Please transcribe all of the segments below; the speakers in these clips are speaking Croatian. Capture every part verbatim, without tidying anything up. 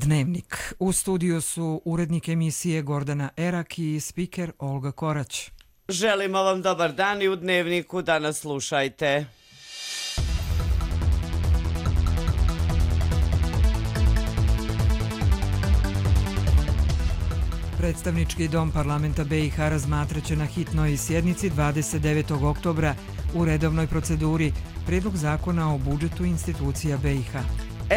Dnevnik. U studiju su urednik emisije Gordana Erak i spiker Olga Korać. Želimo vam dobar dan i u Dnevniku danas slušajte. Predstavnički dom parlamenta B i H razmatraće na hitnoj sjednici dvadeset devetog oktobra u redovnoj proceduri prijedlog zakona o budžetu institucija B i H.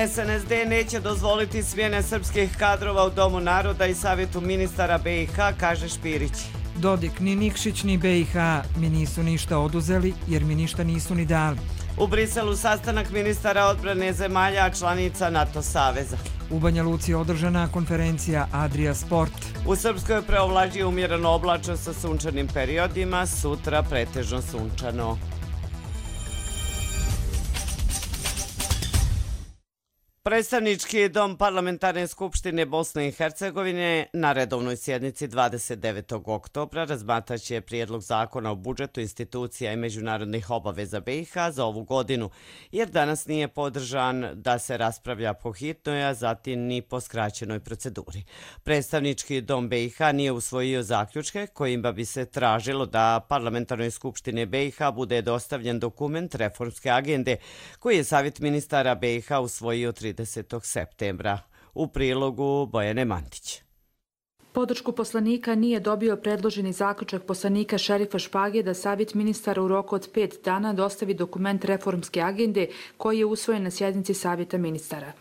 S N S D neće dozvoliti smjene srpskih kadrova u Domu naroda i Savjetu ministara B i H, kaže Špirić. Dodik, ni Nikšić ni B i H mi nisu ništa oduzeli jer mi ništa nisu ni dali. U Briselu sastanak ministara odbrane zemalja članica NATO saveza. U Banja Luci održana konferencija Adria Sport. U Srpskoj preovlađuje umjereno oblačno sa sunčanim periodima, sutra pretežno sunčano. Predstavnički dom Parlamentarne skupštine Bosne i Hercegovine na redovnoj sjednici dvadeset devetog oktobra razmatraće prijedlog zakona o budžetu institucija i međunarodnih obaveza B i H za ovu godinu, jer danas nije podržan da se raspravlja po hitnoj, a zatim ni po skraćenoj proceduri. Predstavnički dom B i H nije usvojio zaključke kojima bi se tražilo da Parlamentarnoj skupštine B i H bude dostavljen dokument reformske agende koji je Savjet ministara B i H usvojio tridesetog septembra. U prilogu Bojane Mantić. Podršku poslanika nije dobio predloženi zaključak poslanika Šerifa Špage da Savjet ministara u roku od pet dana dostavi dokument reformske agende koji je usvojen na sjednici Savjeta ministara.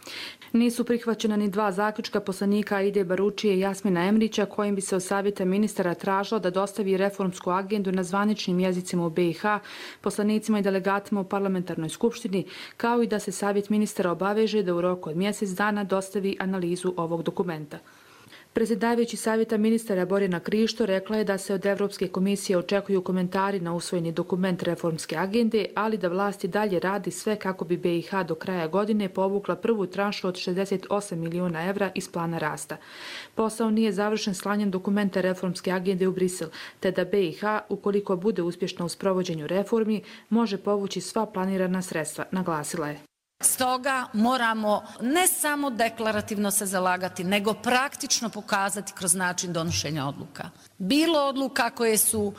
Nisu prihvaćena ni dva zaključka poslanika Aide Baručije i Jasmina Emrića kojim bi se od Savjeta ministara tražilo da dostavi reformsku agendu na zvaničnim jezicima u B i H, poslanicima i delegatima u parlamentarnoj skupštini, kao i da se Savjet ministara obaveže da u roku od mjesec dana dostavi analizu ovog dokumenta. Predsjedavajući Savjeta ministara Borjana Krišto rekla je da se od Evropske komisije očekuju komentari na usvojeni dokument reformske agende, ali da vlast i dalje radi sve kako bi B i H do kraja godine povukla prvu tranšu od šezdeset osam miliona evra iz plana rasta. Posao nije završen slanjem dokumenta reformske agende u Brisel, te da B i H, ukoliko bude uspješna u sprovođenju reformi, može povući sva planirana sredstva, naglasila je. Stoga moramo ne samo deklarativno se zalagati, nego praktično pokazati kroz način donošenja odluka. Bilo odluka koje su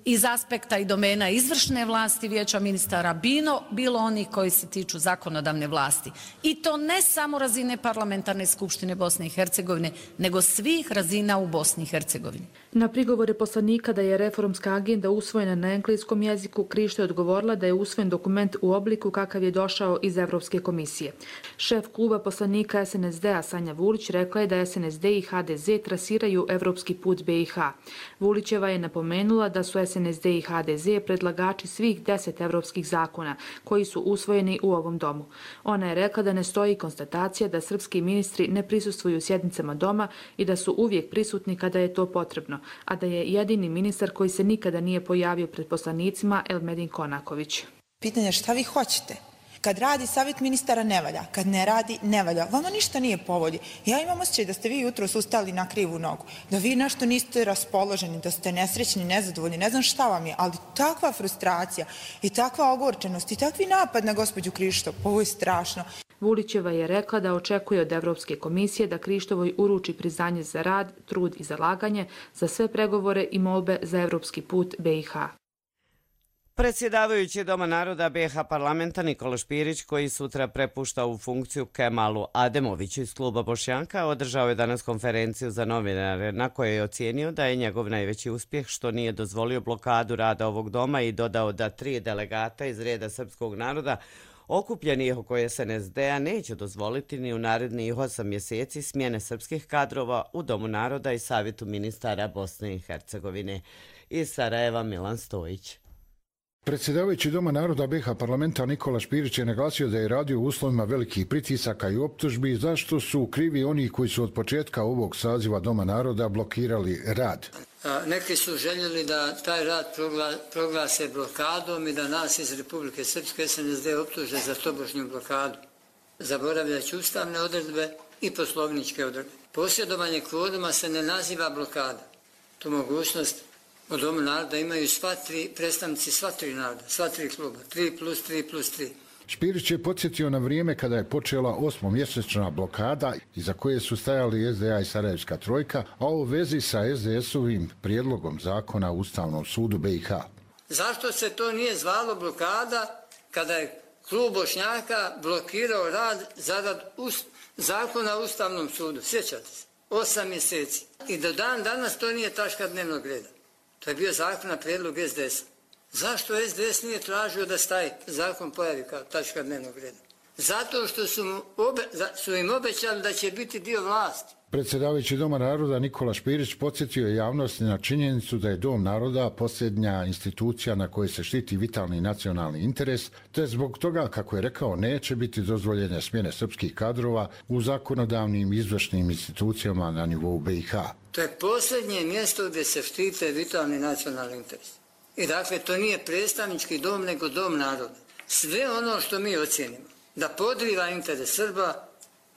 iz aspekta i domena izvršne vlasti Vijeća ministara, bilo, bilo oni koji se tiču zakonodavne vlasti. I to ne samo razine Parlamentarne skupštine Bosne i Hercegovine, nego svih razina u Bosni i Hercegovini. Na prigovore poslanika da je reformska agenda usvojena na engleskom jeziku, Krišto je odgovorila da je usvojen dokument u obliku kakav je došao iz Evropske komisije. Šef kluba poslanika S N S D-a Sanja Vulić rekla je da S N S D i H D Z trasiraju evropski put B i H. Vulićeva je napomenula da su S N S D i H D Z predlagači svih deset evropskih zakona koji su usvojeni u ovom domu. Ona je rekla da ne stoji konstatacija da srpski ministri ne prisustvuju sjednicama doma i da su uvijek prisutni kada je to potrebno, a da je jedini ministar koji se nikada nije pojavio pred poslanicima Elmedin Konaković. Pitanje je šta vi hoćete? Kad radi Savjet ministara ne valja, kad ne radi ne valja. Vama ništa nije povodi. Ja imam osjećaj da ste vi jutro ustali na krivu nogu, da vi nešto niste raspoloženi, da ste nesrećni, nezadovoljni, ne znam šta vam je, ali takva frustracija i takva ogorčenost i takvi napad na gospođu Krišto, ovo je strašno. Vulićeva je rekla da očekuje od Evropske komisije da Krištovoj uruči priznanje za rad, trud i zalaganje za sve pregovore i molbe za evropski put B i H. Predsjedavajući Doma naroda B i H parlamenta Nikola Špirić, koji sutra prepušta u funkciju Kemalu Ademoviću iz kluba Bošnjaka, održao je danas konferenciju za novinare na kojoj je ocijenio da je njegov najveći uspjeh što nije dozvolio blokadu rada ovog doma i dodao da tri delegata iz reda srpskog naroda okupljeni oko S N S D-a neće dozvoliti ni u narednih osam mjeseci smjene srpskih kadrova u Domu naroda i Savjetu ministara Bosne i Hercegovine. Iz Sarajeva Milan Stojić. Predsjedavajući Doma naroda B i H parlamenta Nikola Špirić je naglasio da je radio u uslovima velikih pritisaka i optužbi zašto su krivi oni koji su od početka ovog saziva Doma naroda blokirali rad. Neki su željeli da taj rad proglase blokadom i da nas iz Republike Srpske S N S D optuže za tobožnju blokadu, zaboravljajući ustavne odredbe i poslovničke odredbe. Posjedovanje kvoruma se ne naziva blokada. Tu mogućnost u Domu naroda imaju sva tri predstavnici sva tri naroda, sva tri kluba, tri plus tri plus tri. Špirić je podsjetio na vrijeme kada je počela osmomjesečna blokada iza koje su stajali S D A i Sarajevska trojka, a u vezi sa S D S-ovim prijedlogom zakona u Ustavnom sudu B i H. Zašto se to nije zvalo blokada kada je klub Bošnjaka blokirao rad zarad ust, zakona o Ustavnom sudu? Sjećate se? Osam mjeseci. I do dan danas to nije tačka dnevnog reda. To je bio zakon na prijedlog S D S-a. Zašto S D S nije tražio da se taj zakon pojavi kao tačka dnevnog reda? Zato što su, mu obe, su im obećali da će biti dio vlasti. Predsjedavajući Doma naroda Nikola Špirić podsjetio je javnosti na činjenicu da je Dom naroda posljednja institucija na kojoj se štiti vitalni nacionalni interes, te zbog toga, kako je rekao, neće biti dozvoljene smjene srpskih kadrova u zakonodavnim i izvršnim institucijama na nivou B i H. To je posljednje mjesto gdje se štite vitalni nacionalni interes. I dakle, to nije predstavnički dom, nego Dom naroda. Sve ono što mi ocjenimo da podriva interes Srba,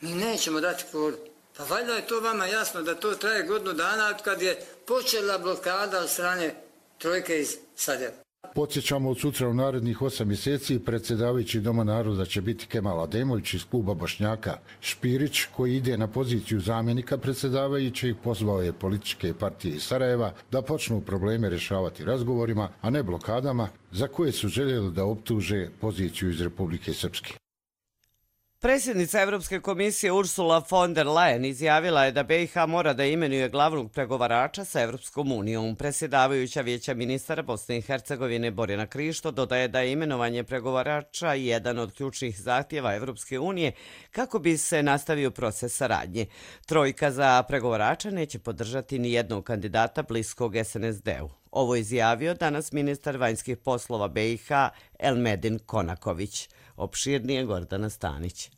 mi nećemo dati kvorum. Pa valjda je to vama jasno da to traje godinu dana od kad je počela blokada od strane trojke iz Sarajeva. Podsjećamo, od sutra u narednih osam mjeseci predsjedavajući Doma naroda će biti Kemal Ademović iz kluba Bošnjaka. Špirić, koji ide na poziciju zamjenika predsjedavajućih, pozvao je političke partije iz Sarajeva da počnu probleme rješavati razgovorima, a ne blokadama, za koje su željeli da optuže poziciju iz Republike Srpske. Predsjednica Evropske komisije Ursula von der Leyen izjavila je da B i H mora da imenuje glavnog pregovarača sa Evropskom unijom. Predsjedavajuća Vijeća ministara Bosne i Hercegovine Borjana Krišto dodaje da je imenovanje pregovarača jedan od ključnih zahtjeva Evropske unije kako bi se nastavio proces saradnje. Trojka za pregovarača neće podržati ni jednog kandidata bliskog S N S D-u. Ovo je izjavio danas ministar vanjskih poslova B i H Elmedin Konaković. Opširnije Gordana Stanić.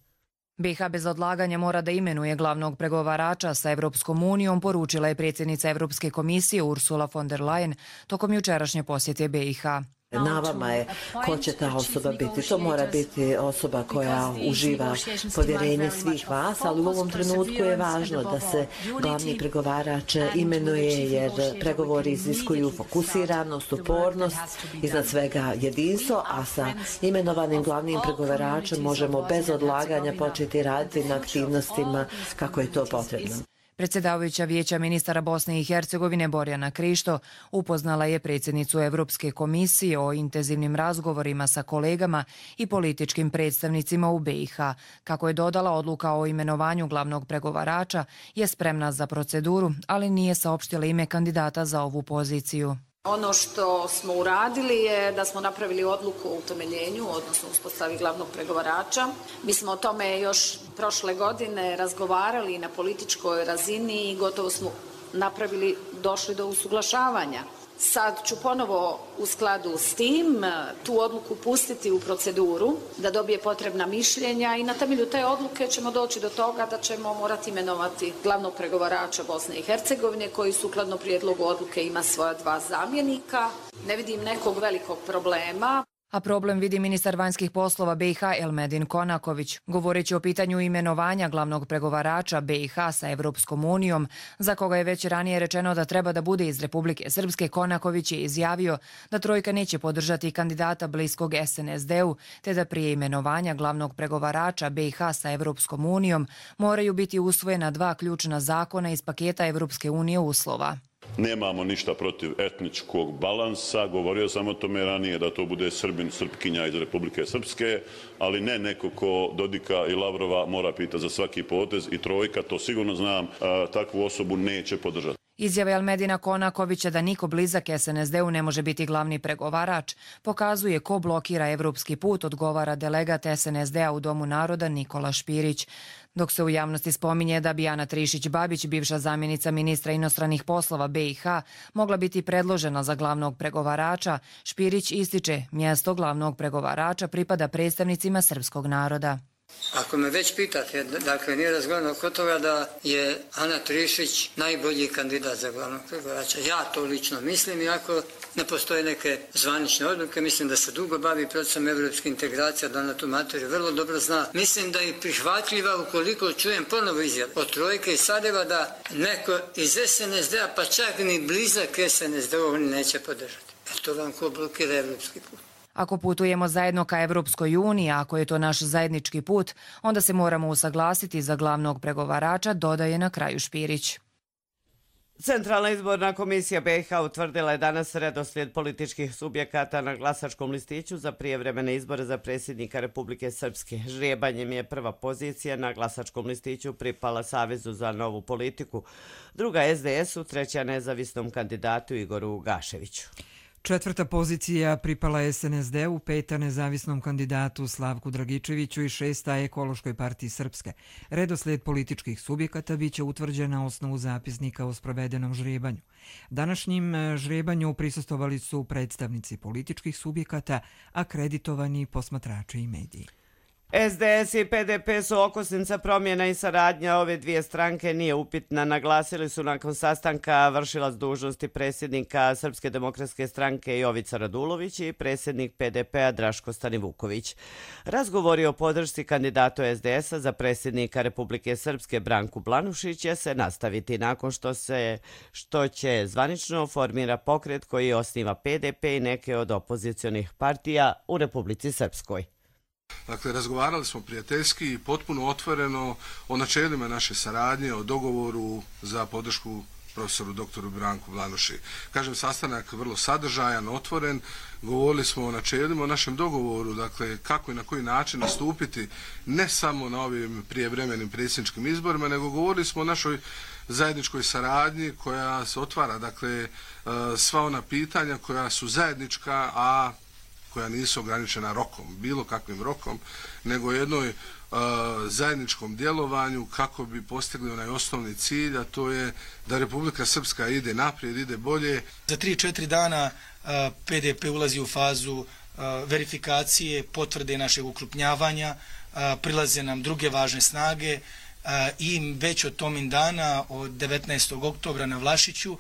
B i H bez odlaganja mora da imenuje glavnog pregovarača sa Evropskom unijom, poručila je predsjednica Evropske komisije Ursula von der Leyen tokom jučerašnje posjete B i H. Na vama je ko će ta osoba biti. To mora biti osoba koja uživa povjerenje svih vas, ali u ovom trenutku je važno da se glavni pregovarač imenuje, jer pregovori iziskuju fokusiranost, upornost, iznad svega jedinstvo, a sa imenovanim glavnim pregovaračem možemo bez odlaganja početi raditi na aktivnostima kako je to potrebno. Predsjedavajuća Vijeća ministara Bosne i Hercegovine Borjana Krišto upoznala je predsjednicu Evropske komisije o intenzivnim razgovorima sa kolegama i političkim predstavnicima u B i H. Kako je dodala, odluka o imenovanju glavnog pregovarača je spremna za proceduru, ali nije saopštila ime kandidata za ovu poziciju. Ono što smo uradili je da smo napravili odluku o utemeljenju, odnosno uspostavi glavnog pregovarača. Mi smo o tome još prošle godine razgovarali na političkoj razini i gotovo smo napravili, došli do usuglašavanja. Sad ću ponovo u skladu s tim tu odluku pustiti u proceduru da dobije potrebna mišljenja i na temelju te odluke ćemo doći do toga da ćemo morati imenovati glavnog pregovarača Bosne i Hercegovine koji sukladno prijedlogu odluke ima svoja dva zamjenika. Ne vidim nekog velikog problema. A problem vidi ministar vanjskih poslova B i H Elmedin Konaković. Govoreći o pitanju imenovanja glavnog pregovarača B i H sa Evropskom unijom, za koga je već ranije rečeno da treba da bude iz Republike Srpske, Konaković je izjavio da trojka neće podržati kandidata bliskog S N S D-u, te da prije imenovanja glavnog pregovarača B i H sa Evropskom unijom moraju biti usvojena dva ključna zakona iz paketa Evropske unije uslova. Nemamo ništa protiv etničkog balansa, govorio sam o tome ranije da to bude Srbin, Srpkinja iz Republike Srpske, ali ne neko ko Dodika i Lavrova mora pitati za svaki potez i trojka, to sigurno znam, takvu osobu neće podržati. Izjave Elmedina Konakovića da niko blizak S N S D-u ne može biti glavni pregovarač pokazuje ko blokira evropski put, odgovara delegat S N S D-a u Domu naroda Nikola Špirić. Dok se u javnosti spominje da bi Ana Trišić-Babić, bivša zamjenica ministra inostranih poslova B i H, mogla biti predložena za glavnog pregovarača, Špirić ističe mjesto glavnog pregovarača pripada predstavnicima srpskog naroda. Ako me već pitate, dakle nije razgovarano oko toga da je Ana Trišić najbolji kandidat za glavnog pregovarača. Ja to lično mislim, iako ne postoje neke zvanične odluke, mislim da se dugo bavi procesom evropske integracije, da na tu materiju vrlo dobro zna. Mislim da je prihvatljiva ukoliko čujem ponovo izjavu od trojke i Sarajeva da neko iz S N S D-a, pa čak ni blizak S N S D-u, oni neće podržati. Jer to vam ko blokira evropski put. Ako putujemo zajedno ka Evropskoj uniji, ako je to naš zajednički put, onda se moramo usaglasiti za glavnog pregovarača, dodaje na kraju Špirić. Centralna izborna komisija B i H utvrdila je danas redoslijed političkih subjekata na glasačkom listiću za prijevremene izbore za predsjednika Republike Srpske. Žrebanjem je prva pozicija na glasačkom listiću pripala Savezu za novu politiku, druga S D S-u, treća nezavisnom kandidatu Igoru Gaševiću. Četvrta pozicija pripala S N S D-u, peta nezavisnom kandidatu Slavku Dragičeviću i šesta Ekološkoj partiji Srpske. Redoslijed političkih subjekata biće utvrđen na osnovu zapisnika o sprovedenom žrebanju. Današnjim žrebanju prisustvovali su predstavnici političkih subjekata, akreditovani posmatrači i mediji. S D S i P D P su okosnica promjena i saradnja ove dvije stranke nije upitna, naglasili su nakon sastanka vršilac dužnosti predsjednika Srpske demokratske stranke Jovica Radulović i predsjednik P D P-a Draško Stanivuković. Razgovori o podršci kandidatu S D S-a za predsjednika Republike Srpske Branku Blanušić će se nastaviti nakon što se što će zvanično formira pokret koji osniva P D P i neke od opozicionih partija u Republici Srpskoj. Dakle, razgovarali smo prijateljski i potpuno otvoreno o načelima naše saradnje, o dogovoru za podršku profesoru doktoru Branku Blanuši. Kažem, sastanak vrlo sadržajan, otvoren, govorili smo o načelima, o našem dogovoru, dakle, kako i na koji način nastupiti ne samo na ovim prijevremenim predsjedničkim izborima, nego govorili smo o našoj zajedničkoj saradnji koja se otvara, dakle, sva ona pitanja koja su zajednička, a koja nisu ograničena rokom, bilo kakvim rokom, nego jednoj uh, zajedničkom djelovanju kako bi postigli onaj osnovni cilj, a to je da Republika Srpska ide naprijed, ide bolje. Za tri četiri dana uh, P D P ulazi u fazu uh, verifikacije, potvrde našeg ukrupnjavanja, uh, prilaze nam druge važne snage uh, i već od tomin dana, od devetnaestog oktobra na Vlašiću, uh,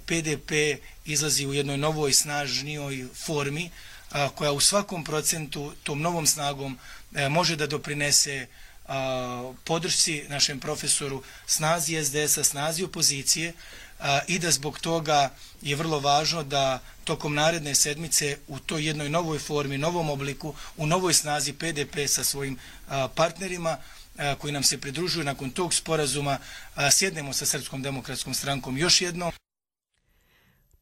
P D P izlazi u jednoj novoj, snažnijoj formi, a, koja u svakom procentu tom novom snagom a, može da doprinese a, podršci našem profesoru, snazi S D S-a, snazi opozicije a, i da zbog toga je vrlo važno da tokom naredne sedmice u toj jednoj novoj formi, novom obliku, u novoj snazi P D P sa svojim a, partnerima a, koji nam se pridružuju nakon tog sporazuma, a, sjednemo sa Srpskom demokratskom strankom još jednom.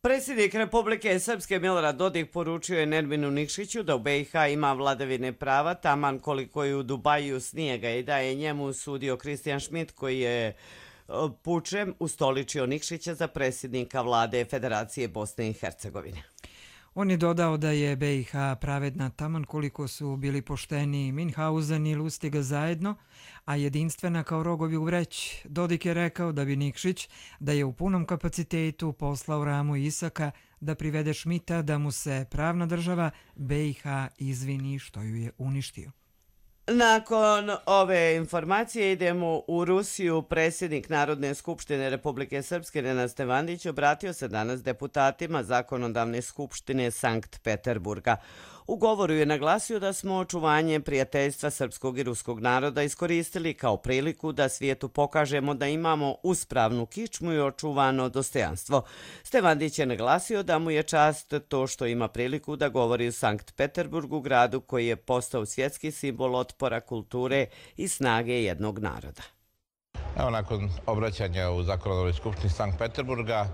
Predsjednik Republike Srpske Milorad Dodik poručio je Nerminu Nikšiću da u B i H ima vladavine prava, taman koliko je u Dubaju snijega, i da je njemu sudio Kristijan Šmit koji je pučem ustoličio Nikšića za predsjednika vlade Federacije Bosne i Hercegovine. On je dodao da je B i H pravedna taman koliko su bili pošteni Minhausen i Lustiga zajedno, a jedinstvena kao rogovi u vreći. Dodik je rekao da bi Nikšić, da je u punom kapacitetu poslao Ramu Isaka da privede Šmita da mu se pravna država B i H izvini što ju je uništio. Nakon ove informacije idemo u Rusiju. Predsjednik Narodne skupštine Republike Srpske Nenad Stevandić obratio se danas deputatima Zakonodavne skupštine Sankt Peterburga. U govoru je naglasio da smo očuvanje prijateljstva srpskog i ruskog naroda iskoristili kao priliku da svijetu pokažemo da imamo uspravnu kičmu i očuvano dostojanstvo. Stevandić je naglasio da mu je čast to što ima priliku da govori u Sankt Peterburgu, gradu koji je postao svjetski simbol otpora, kulture i snage jednog naroda. Evo, nakon obraćanja u Zakonodavnoj skupštini Sankt Peterburga,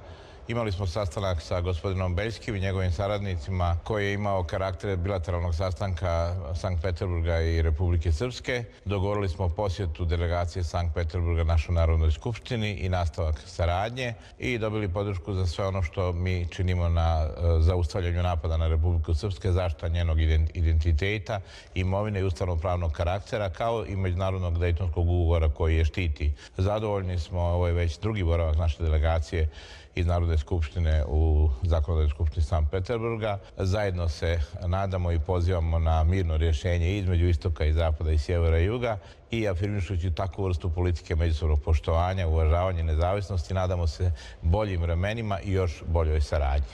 imali smo sastanak sa gospodinom Beljskim i njegovim saradnicima koji je imao karakter bilateralnog sastanka Sankt Peterburga i Republike Srpske. Dogovorili smo posjetu delegacije Sankt Peterburga našoj Narodnoj skupštini i nastavak saradnje i dobili podršku za sve ono što mi činimo na zaustavljanju napada na Republiku Srpske, zaštita njenog identiteta, imovine i ustavno-pravnog karaktera, kao i međunarodnog Dejtonskog ugovora koji je štiti. Zadovoljni smo, ovo je već drugi boravak naše delegacije iz Narodne skupštine u Zakonodavnoj skupštini Sankt Peterburga. Zajedno se nadamo i pozivamo na mirno rješenje između istoka i zapada i sjevera i juga i afirmišući takvu vrstu politike međusobnog poštovanja, uvažavanja nezavisnosti, nadamo se boljim vremenima i još boljoj saradnji.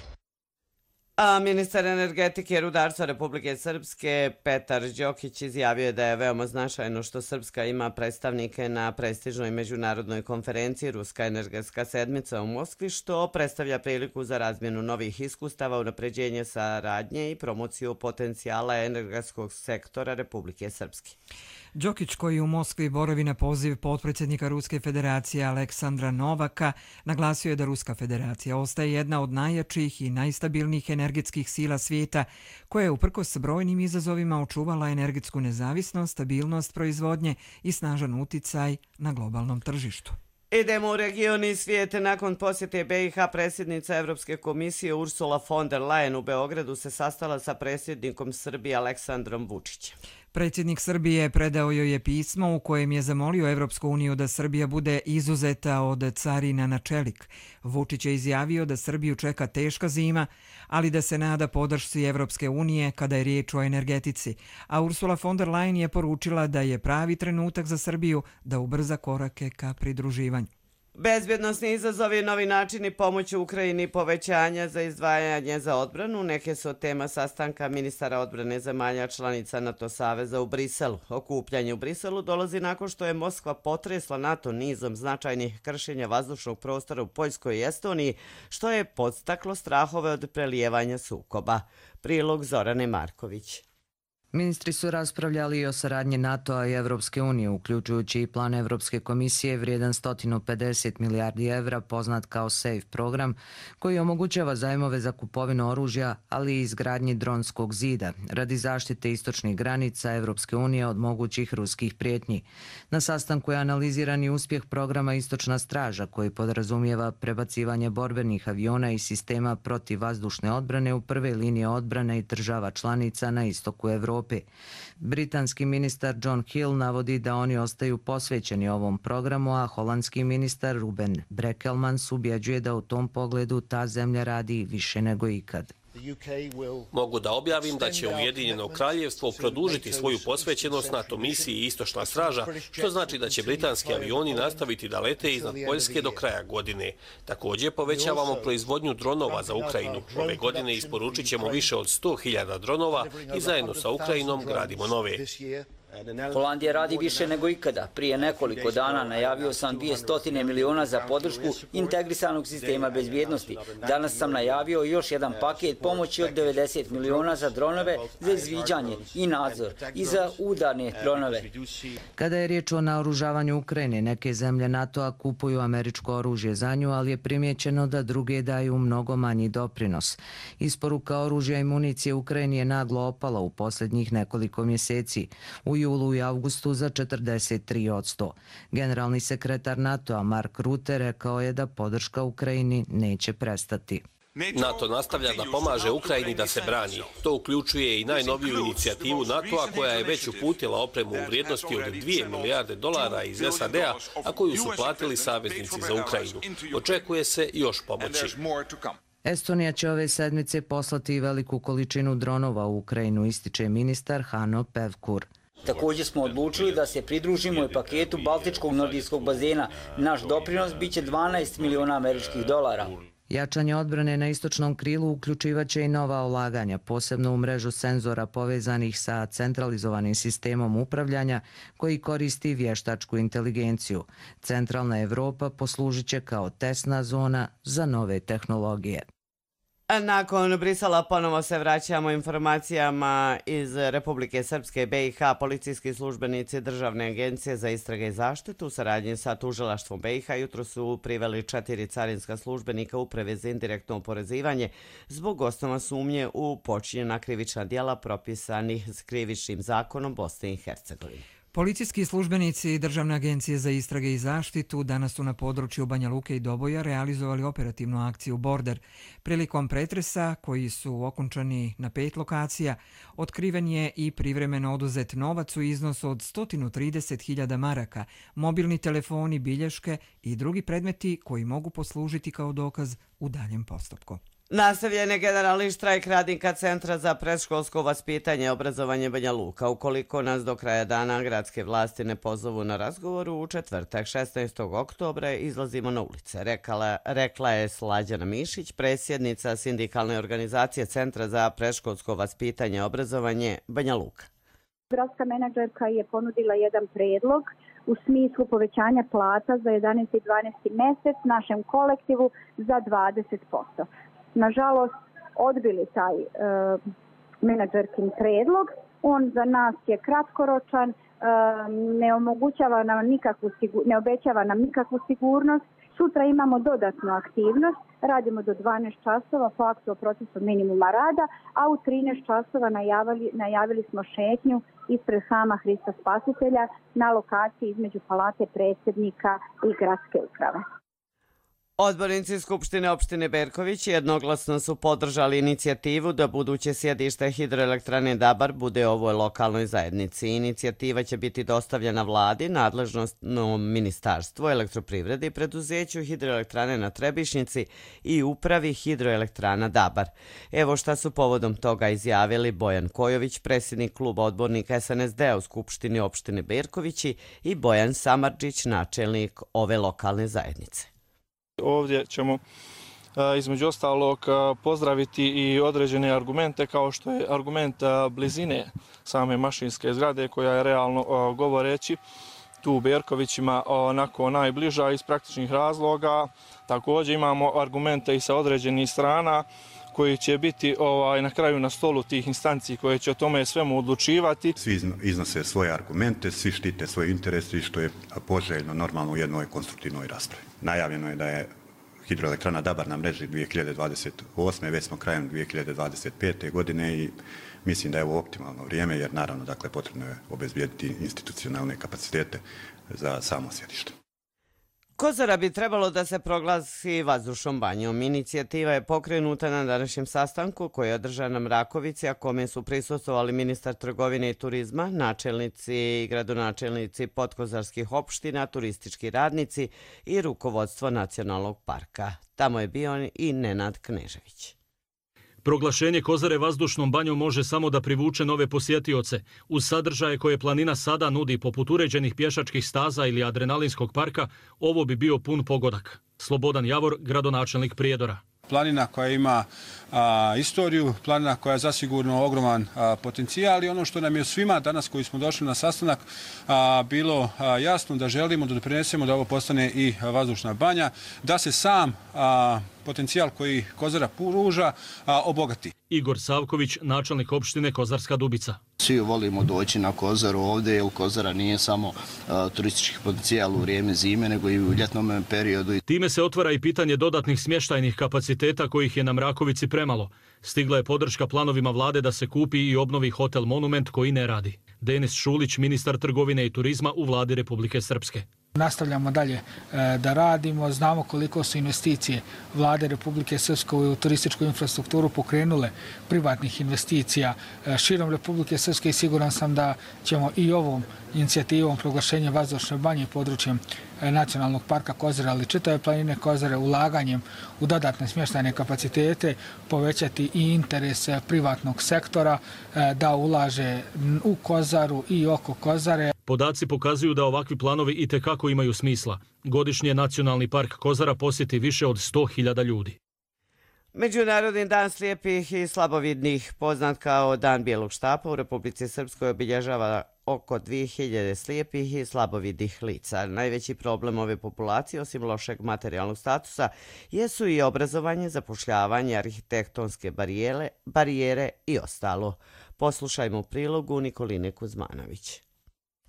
A ministar energetike i rudarstva Republike Srpske Petar Đokić izjavio je da je veoma značajno što Srpska ima predstavnike na prestižnoj međunarodnoj konferenciji Ruska energetska sedmica u Moskvi, što predstavlja priliku za razmjenu novih iskustava, unapređenje saradnje i promociju potencijala energetskog sektora Republike Srpske. Đokić, koji u Moskvi boravi na poziv potpredsjednika Ruske federacije Aleksandra Novaka, naglasio je da Ruska federacija ostaje jedna od najjačih i najstabilnijih energetskih sila svijeta, koja je uprkos brojnim izazovima očuvala energetsku nezavisnost, stabilnost proizvodnje i snažan uticaj na globalnom tržištu. Idemo u region i svijete. Nakon posjete B i H predsjednica Evropske komisije Ursula von der Leyen u Beogradu se sastala sa predsjednikom Srbije Aleksandrom Vučićem. Predsjednik Srbije predao joj je pismo u kojem je zamolio Evropsku uniju da Srbija bude izuzeta od carina na čelik. Vučić je izjavio da Srbiju čeka teška zima, ali da se nada podršci Evropske unije kada je riječ o energetici. A Ursula von der Leyen je poručila da je pravi trenutak za Srbiju da ubrza korake ka pridruživanju. Bezbjednosni izazovi, novi načini pomoći Ukrajini, povećanja za izdvajanje za odbranu, neke su tema sastanka ministara odbrane zemalja članica NATO saveza u Briselu. Okupljanje u Briselu dolazi nakon što je Moskva potresla NATO nizom značajnih kršenja vazdušnog prostora u Poljskoj i Estoniji, što je podstaklo strahove od prelijevanja sukoba. Prilog Zorane Marković. Ministri su raspravljali i o saradnji NATO-a i Evropske unije, uključujući i plan Evropske komisije vrijedan sto pedeset milijardi evra, poznat kao SAFE program, koji omogućava zajmove za kupovinu oružja, ali i izgradnji dronskog zida, radi zaštite istočnih granica Evropske unije od mogućih ruskih prijetnji. Na sastanku je analiziran i uspjeh programa Istočna straža, koji podrazumijeva prebacivanje borbenih aviona i sistema protivvazdušne odbrane u prve linije odbrane i država članica na istoku Evrope. Britanski ministar John Hill navodi da oni ostaju posvećeni ovom programu, a holandski ministar Ruben Brekelmans ubjeđuje da u tom pogledu ta zemlja radi više nego ikad. Mogu da objavim da će Ujedinjeno kraljevstvo produžiti svoju posvećenost NATO misiji Istočna straža, što znači da će britanski avioni nastaviti da lete iznad Poljske do kraja godine. Također povećavamo proizvodnju dronova za Ukrajinu. Ove godine isporučit ćemo više od sto hiljada dronova i zajedno sa Ukrajinom gradimo nove. Holandija radi više nego ikada. Prije nekoliko dana najavio sam dvjesto miliona za podršku integrisanog sistema bezbjednosti. Danas sam najavio još jedan paket pomoći od devedeset miliona za dronove za izviđanje i nadzor i za udarne dronove. Kada je riječ o naoružavanju Ukrajine, neke zemlje NATO-a kupuju američko oružje za nju, ali je primjećeno da druge daju mnogo manji doprinos. Isporuka oružja i municije Ukrajini je naglo opala u posljednjih nekoliko mjeseci. U julu i avgustu za četrdeset tri posto. Generalni sekretar NATO-a Mark Rutte rekao je da podrška Ukrajini neće prestati. NATO nastavlja da pomaže Ukrajini da se brani. To uključuje i najnoviju inicijativu NATO-a koja je već uputila opremu u vrijednosti od dvije milijarde dolara iz S A D-a, a koju su platili saveznici za Ukrajinu. Očekuje se još pomoći. Estonija će ove sedmice poslati veliku količinu dronova u Ukrajinu, ističe ministar Hanno Pevkur. Također smo odlučili da se pridružimo i paketu Baltičkog nordijskog bazena. Naš doprinos biće dvanaest miliona američkih dolara. Jačanje odbrane na istočnom krilu uključivaće i nova ulaganja, posebno u mrežu senzora povezanih sa centralizovanim sistemom upravljanja koji koristi vještačku inteligenciju. Centralna Evropa poslužit će kao testna zona za nove tehnologije. Nakon Brisela ponovo se vraćamo informacijama iz Republike Srpske. B i H policijski službenici Državne agencije za istrage i zaštitu u saradnji sa tužilaštvom B i H jutro su priveli četiri carinska službenika Uprave za indirektno oporezivanje zbog osnova sumnje u počinjena krivična djela propisanih s krivičnim zakonom Bosne i Hercegovine. Policijski službenici Državne agencije za istrage i zaštitu danas su na području Banja Luke i Doboja realizovali operativnu akciju Border. Prilikom pretresa, koji su okončani na pet lokacija, otkriven je i privremeno oduzet novac u iznosu od sto trideset hiljada maraka, mobilni telefoni, bilješke i drugi predmeti koji mogu poslužiti kao dokaz u daljem postupku. Nastavljen je generalni štrajk radnika Centra za predškolsko vaspitanje i obrazovanje Banja Luka. Ukoliko nas do kraja dana gradske vlasti ne pozovu na razgovoru, u četvrtak šesnaestog oktobra izlazimo na ulice, rekla, rekla je Slađana Mišić, predsjednica sindikalne organizacije Centra za predškolsko vaspitanje i obrazovanje Banja Luka. Gradska menadžerka je ponudila jedan predlog u smislu povećanja plata za jedanaesti i dvanaesti mesec našem kolektivu za dvadeset posto. Nažalost, odbili taj e, menadžerkin predlog. On za nas je kratkoročan, e, ne omogućava nam nikakvu, ne obećava nam nikakvu sigurnost. Sutra imamo dodatnu aktivnost, radimo do dvanaest časova po aktu o procesu minimuma rada, a u trinaest časova najavili, najavili smo šetnju ispred Hrama Hrista Spasitelja na lokaciji između Palate predsjednika i gradske uprave. Odbornici Skupštine opštine Berković jednoglasno su podržali inicijativu da buduće sjedište hidroelektrane Dabar bude ovoj lokalnoj zajednici. Inicijativa će biti dostavljena vladi, nadležnom ministarstvu elektroprivrede i preduzeću hidroelektrane na Trebišnjici i upravi hidroelektrana Dabar. Evo šta su povodom toga izjavili Bojan Kojović, predsjednik kluba odbornika es en es de a u Skupštini opštine Berkovići, i Bojan Samardžić, načelnik ove lokalne zajednice. Ovdje ćemo između ostalog pozdraviti i određene argumente kao što je argument blizine same mašinske zgrade koja je realno govoreći tu u Berkovićima onako najbliža iz praktičnih razloga. Također imamo argumente i sa određenih strana koji će biti ovaj, na kraju na stolu tih instanci koje će o tome svemu odlučivati. Svi iznose svoje argumente, svi štite svoje interese, što je poželjno normalno u jednoj konstruktivnoj raspravi. Najavljeno je da je hidroelektrana Dabar na mreži dvije hiljade dvadeset osme. Već smo krajem dvije hiljade dvadeset pete. godine i mislim da je ovo optimalno vrijeme jer naravno dakle, potrebno je obezbijediti institucionalne kapacitete za samo sjedište. Kozara bi trebalo da se proglasi vazdušnom banjom. Inicijativa je pokrenuta na današnjem sastanku koji je održan na Mrakovici, a kome su prisustvovali ministar trgovine i turizma, načelnici i gradonačelnici podkozarskih opština, turistički radnici i rukovodstvo nacionalnog parka. Tamo je bio i Nenad Knežević. Proglašenje Kozare vazdušnom banjom može samo da privuče nove posjetioce. Uz sadržaje koje planina sada nudi poput uređenih pješačkih staza ili adrenalinskog parka, ovo bi bio pun pogodak. Slobodan Javor, gradonačelnik Prijedora. Planina koja ima a, istoriju, planina koja je zasigurno ogroman a, potencijal i ono što nam je svima danas koji smo došli na sastanak a, bilo a, jasno da želimo da doprinesemo da ovo postane i vazdušna banja, da se sam a, potencijal koji Kozara pruža a, obogati. Igor Savković, načelnik opštine Kozarska Dubica. Svi volimo doći na Kozaru ovdje, jer Kozara nije samo a, turistički potencijal u vrijeme zime, nego i u ljetnom periodu. Time se otvara i pitanje dodatnih smještajnih kapaciteta kojih je na Mrakovici premalo. Stigla je podrška planovima vlade da se kupi i obnovi hotel Monument koji ne radi. Denis Šulić, ministar trgovine i turizma u vladi Republike Srpske. Nastavljamo dalje da radimo, znamo koliko su investicije vlade Republike Srpske u turističku infrastrukturu pokrenule privatnih investicija širom Republike Srpske i siguran sam da ćemo i ovom inicijativom proglašenja vazdušne banje područjem nacionalnog parka Kozare, ali čitave planine Kozare ulaganjem u dodatne smještajne kapacitete povećati i interes privatnog sektora da ulaže u Kozaru i oko Kozare. Podaci pokazuju da ovakvi planovi itekako imaju smisla. Godišnje Nacionalni park Kozara posjeti više od sto hiljada ljudi. Međunarodni dan slijepih i slabovidnih, poznat kao Dan bijelog štapa, u Republici Srpskoj obilježava oko dvije hiljade slijepih i slabovidnih lica. Najveći problem ove populacije, osim lošeg materijalnog statusa, jesu i obrazovanje, zapošljavanje, arhitektonske barijere, barijere i ostalo. Poslušajmo u prilogu Nikoline Kuzmanović.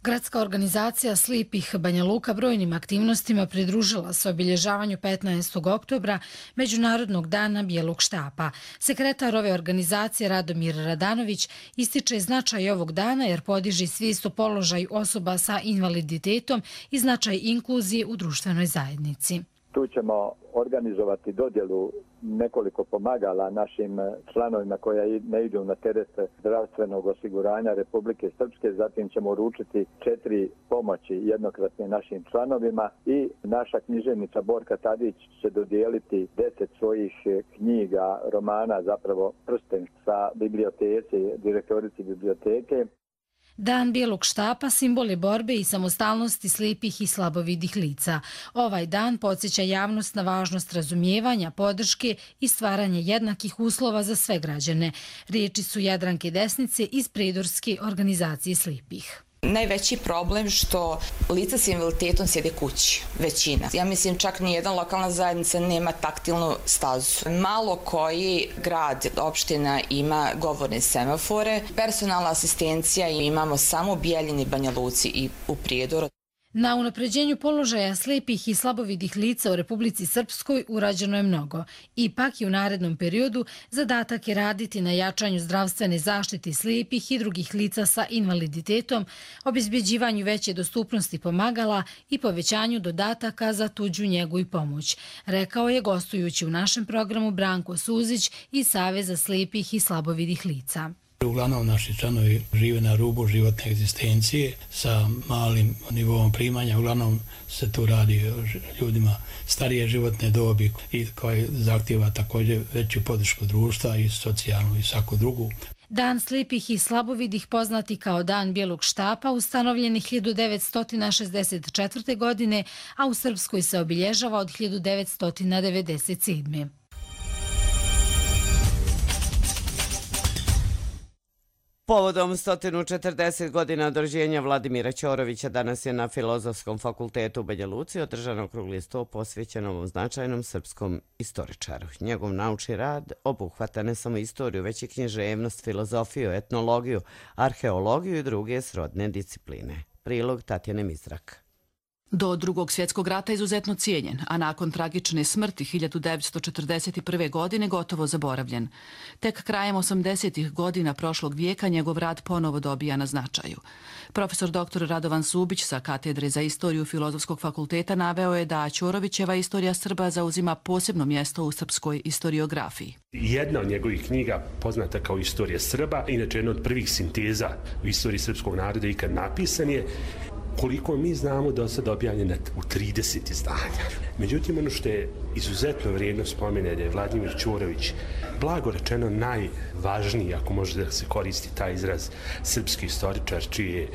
Gradska organizacija Slijepih Banja Luka brojnim aktivnostima pridružila se obilježavanju petnaestog oktobra Međunarodnog dana bijelog štapa. Sekretar ove organizacije Radomir Radanović ističe značaj ovog dana jer podiže svijest o položaju osoba sa invaliditetom i značaj inkluzije u društvenoj zajednici. Tu ćemo organizovati dodjelu nekoliko pomagala našim članovima koja ne idu na teret zdravstvenog osiguranja Republike Srpske. Zatim ćemo uručiti četiri pomoći jednokratne našim članovima i naša književnica Borka Tadić će dodijeliti deset svojih knjiga, romana, zapravo prsten sa biblioteci, direktorici biblioteke. Dan bijelog štapa simbol je borbe i samostalnosti slijepih i slabovidih lica. Ovaj dan podsjeća javnost na važnost razumijevanja, podrške i stvaranja jednakih uslova za sve građane. Riječi su Jadranke Desnice iz Predorske organizacije slijepih. Najveći problem što lica s invaliditetom sjede kući, većina. Ja mislim čak nijedan lokalna zajednica nema taktilnu stazu. Malo koji grad, opština ima govorne semafore. Personalna asistencija imamo samo u Bijeljini, Banja Luci i u Prijedoru. Na unapređenju položaja slijepih i slabovidih lica u Republici Srpskoj urađeno je mnogo. Ipak i u narednom periodu zadatak je raditi na jačanju zdravstvene zaštite slijepih i drugih lica sa invaliditetom, obezbeđivanju veće dostupnosti pomagala i povećanju dodataka za tuđu njegu i pomoć, rekao je gostujući u našem programu Branko Suzić iz Saveza slijepih i slabovidih lica. Uglavnom naši članovi žive na rubu životne egzistencije sa malim nivoom primanja. Uglavnom se tu radi o ljudima starije životne dobi i koji zahtjeva također veću podršku društva i socijalnu i svaku drugu. Dan slijepih i slabovidih, poznati kao Dan bijelog štapa, ustanovljen je hiljadu devetsto šezdeset četvrte. godine, a u Srpskoj se obilježava od hiljadu devetsto devedeset sedme. Povodom sto četrdeset godina od rođenja Vladimira Ćorovića danas je na Filozofskom fakultetu u Banja Luci održan okrugli sto posvećen ovom značajnom srpskom istoričaru. Njegov naučni rad obuhvata ne samo istoriju, već i književnost, filozofiju, etnologiju, arheologiju i druge srodne discipline. Prilog Tatjane Mizrak. Do Drugog svjetskog rata izuzetno cijenjen, a nakon tragične smrti hiljadu devetsto četrdeset prve. godine gotovo zaboravljen. Tek krajem osamdesetih godina prošlog vijeka njegov rad ponovo dobija na značaju. Profesor doktor Radovan Subić sa Katedre za istoriju Filozofskog fakulteta naveo je da Ćorovićeva istorija Srba zauzima posebno mjesto u srpskoj historiografiji. Jedna od njegovih knjiga, poznata kao Istorija Srba, inače jedna od prvih sinteza u istoriji srpskog naroda ikad napisan je, koliko mi znamo do sada objavljena u trideset izdanja. Međutim, ono što je izuzetno vrijedno spomene da je Vladimir Ćorović, blago rečeno, najvažniji, ako može da se koristi taj izraz, srpski istoričar, čiji je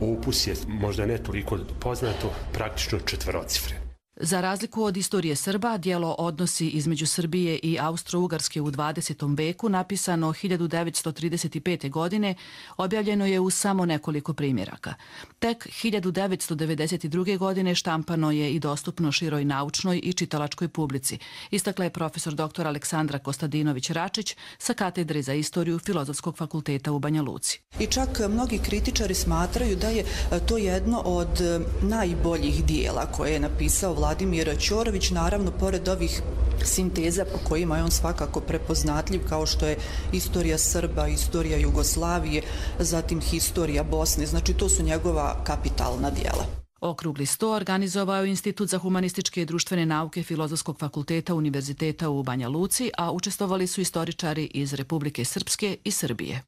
opus je možda ne toliko poznato, praktično četverocifren. Za razliku od istorije Srba, dijelo Odnosi između Srbije i Austro-Ugarske u dvadesetom veku, napisano hiljadu devetsto trideset pete. godine, objavljeno je u samo nekoliko primjeraka. Tek hiljadu devetsto devedeset druge. godine štampano je i dostupno široj naučnoj i čitalačkoj publici, istakla je profesor doktor Aleksandra Kostadinović-Račić sa Katedre za istoriju Filozofskog fakulteta u Banja Luci. I čak mnogi kritičari smatraju da je to jedno od najboljih dijela koje je napisao Vladimir Ćorović, naravno pored ovih sinteza po kojima je on svakako prepoznatljiv, kao što je istorija Srba, istorija Jugoslavije, zatim historija Bosne, znači to su njegova kapitalna dijela. Okrugli sto organizovao je Institut za humanističke i društvene nauke Filozofskog fakulteta Univerziteta u Banja Luci, a učestvovali su istoričari iz Republike Srpske i Srbije.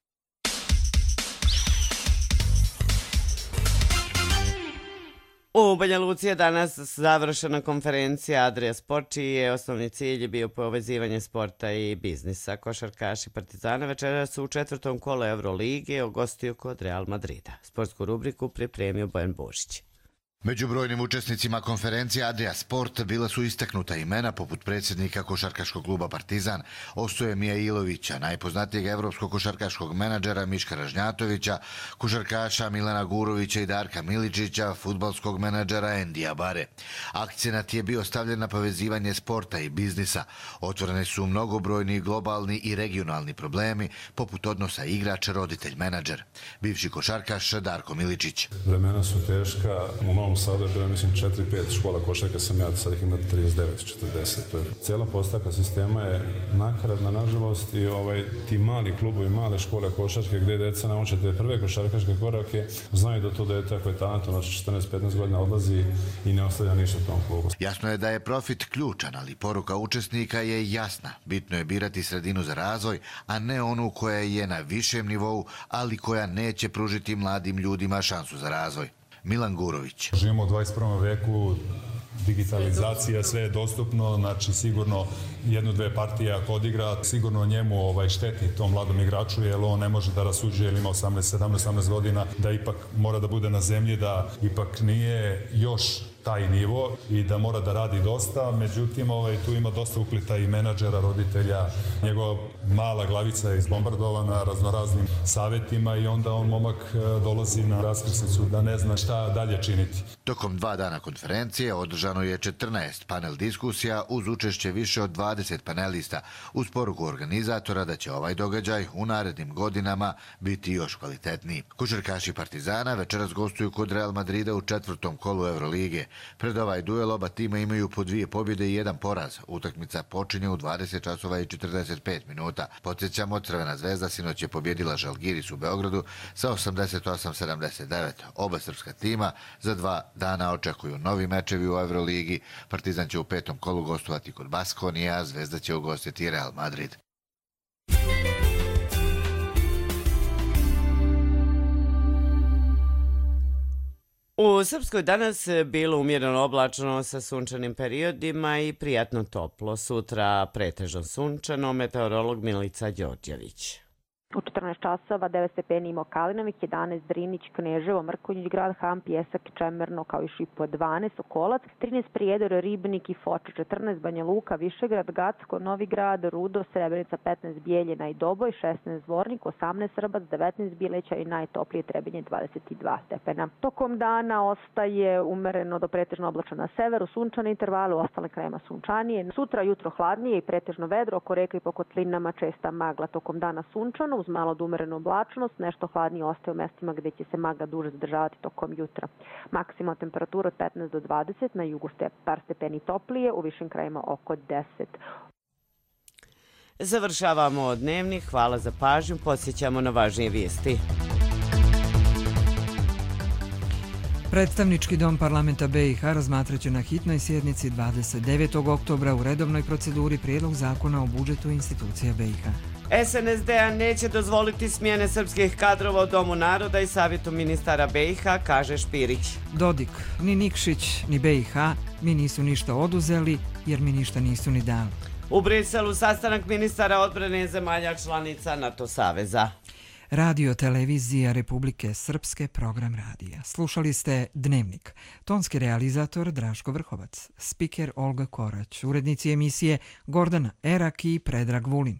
U Banja Luci je danas završena konferencija Adria Sport, čiji je osnovni cilj bio povezivanje sporta i biznisa. Košarkaši Partizana večeras su u četvrtom kolu Eurolige ugostio kod Real Madrida. Sportsku rubriku pripremio Bojan Božić. Među brojnim učesnicima konferencije Adria Sport bila su istaknuta imena poput predsjednika košarkaškog kluba Partizan Ostoje Mijailovića, najpoznatijeg evropskog košarkaškog menadžera Miška Ražnjatovića, košarkaša Milana Gurovića i Darka Miličića, fudbalskog menadžera Endija Bare. Akcenat je bio stavljen na povezivanje sporta i biznisa. Otvorene su mnogobrojni globalni i regionalni problemi poput odnosa igrač-roditelj-menadžer. Bivši košarkaš Darko Miličić. Vremena su teška, u novom Novom Sadu je bilo, mislim, četiri pet škola košarke sam ja, sad ih ima trideset devet četrdeset. Cijela postavka sistema je nakaradna, nažalost, i ovaj, ti mali klubovi, male škole košarke gdje deca nauče te prve košarkaške korake, znaju da to dete ako je talentovno od četrnaest petnaest godina odlazi i ne ostavlja ništa u tom klubu. Jasno je da je profit ključan, ali poruka učesnika je jasna. Bitno je birati sredinu za razvoj, a ne onu koja je na višem nivou, ali koja neće pružiti mladim ljudima šansu za razvoj. Milan Gurović. Živimo u dvadeset prvom veku, digitalizacija, sve je dostupno, znači sigurno jednu, dve partije ako odigra, sigurno njemu ovaj, šteti tom mladom igraču, jer on ne može da rasuđuje, jer ima osamnaest, sedamnaest, osamnaest godina, da ipak mora da bude na zemlji, da ipak nije još taj nivo i da mora da radi dosta, međutim ovaj, tu ima dosta uplita i menadžera, roditelja, njegova mala glavica je izbombardovana raznoraznim savjetima i onda on momak dolazi na raskrsnicu da ne zna šta dalje činiti. Tokom dva dana konferencije održano je četrnaest panel diskusija uz učešće više od dvadeset panelista, uz poruku organizatora da će ovaj događaj u narednim godinama biti još kvalitetniji. Košarkaši Partizana večeras gostuju kod Real Madrida u četvrtom kolu Evrolige. Pred ovaj duel oba tima imaju po dvije pobjede i jedan poraz. Utakmica počinje u dvadeset časova i četrdeset pet minuta. Podsjećamo, Crvena zvezda sinoć je pobjedila Žalgiris u Beogradu sa osamdeset osam sedamdeset devet. Oba srpska tima za dva dana očekuju novi mečevi u Evroligi. Partizan će u petom kolu gostovati kod Baskonije, a Zvezda će ugostiti Real Madrid. U Srpskoj danas bilo umjereno oblačno sa sunčanim periodima i prijatno toplo. Sutra pretežno sunčano, meteorolog Milica Đorđević. U četrnaest časova devet stepeni Imo Kalinovik, jedanaest Drinić, Kneževo, Mrkonjić, Grad Ham, Pjesak, Čemerno, kao i Šipo dvanaest, Sokolac, trinaest Prijedor, Ribnik i Foča, četrnaest Banja Luka, Višegrad, Gacko, Novi Grad, Rudo, Srebrenica, petnaest Bijeljina i Doboj, šesnaest Zvornik, osamnaest Srbac, devetnaest Bileća i najtoplije Trebinje dvadeset dva stepena. Tokom dana ostaje umereno do pretežno oblačno na severu, sunčane intervale, u ostale krajima sunčanije. Sutra jutro hladnije i pretežno vedro, oko reka i po kotlinama česta magla. Tokom dana sunčano, uz malo od umerenu oblačnost, nešto hladnije ostaje u mestima gdje će se magla duže zadržavati tokom jutra. Maksimalna temperatura od petnaest do dvadeset, na jugu ste par stepeni toplije, u višim krajima oko deset. Završavamo dnevnik, hvala za pažnju, podsjećamo na važnije vijesti. Predstavnički dom parlamenta B i H razmatraće na hitnoj sjednici dvadeset devetog oktobra u redovnoj proceduri prijedlog zakona o budžetu institucija B i H. S N S D-a neće dozvoliti smjene srpskih kadrova u Domu naroda i savjetu ministara B i H, kaže Špirić. Dodik, ni Nikšić, ni B i H mi nisu ništa oduzeli jer mi ništa nisu ni dali. U Briselu sastanak ministara odbrane zemalja članica NATO saveza. Radio televizija Republike Srpske, program radija. Slušali ste Dnevnik. Tonski realizator Draško Vrhovac, spiker Olga Korać, urednici emisije Gordana Erak i Predrag Vulin.